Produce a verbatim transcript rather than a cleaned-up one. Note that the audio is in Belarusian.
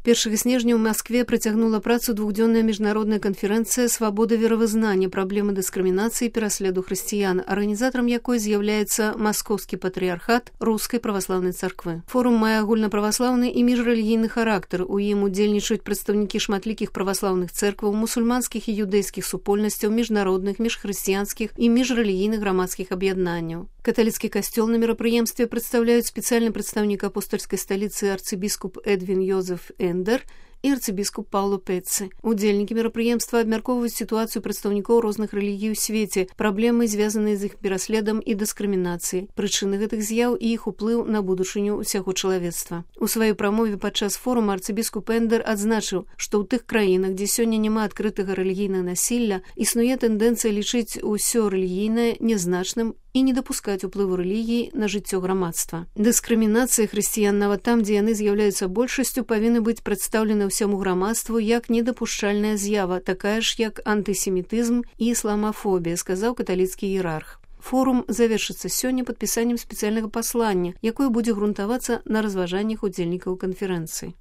першага снежня ў Маскве працягнула працу двухдзённая міжнародная канферэнцыя «Свабода веравызнання. Праблемы дыскрымінацыі і пераследу хрысціян», арганізатарам якой з'яўляецца Маскоўскі патрыярхат Рускай праваслаўнай царквы. Форум мае агульнаправаслаўны і міжрэлігійны характар. У ім удзельнічаюць прадстаўнікі шматлікіх праваслаўных цэркваў, мусульманскіх і юдэйскіх супольнасцяў, міжнародных, міжхрысціянскіх і міжрэлігійных грамадскіх аб'яднанняў. Каталіцкі касцёл на мерапрыемстве прадстаўляюць спецыяльны прадстаўнік апостальскай сталіцы арцыбіскуп Эдвін Йозеф Эндер і арцыбіскуп Пауло Пеццы. Удзельнікі мерапрыемства абмяркоўваюць сітуацыю прадстаўнікоў розных рэлігій у свеце, праблемы, звязаныя з іх пераследам і дыскрымінацыяй, прычыны гэтых з'яў і іх уплыў на будучыню ўсяго чалавецтва. У сваёй прамове падчас форума арцыбіскуп Эндер адзначыў, што ў тых краінах, дзе сёння няма адкрытага рэлігійнага насілля, існуе тэндэнцыя лічыць усё рэлігійнае нязначным і не дапускаць уплыву рэлігіі на жыццё грамадства. Дыскрымінацыя хрысціян нават там, дзе яны з'яўляюцца большасцю, павінны быць прадстаўлены ўсяму грамадству як недапушчальная з'ява, такая ж як антысемітызм і ісламафобія, сказаў каталіцкі іерарх. Форум завершыцца сёння падпісаннем спецыяльнага паслання, якое будзе грунтавацца на разважаннях удзельнікаў канферэнцыі.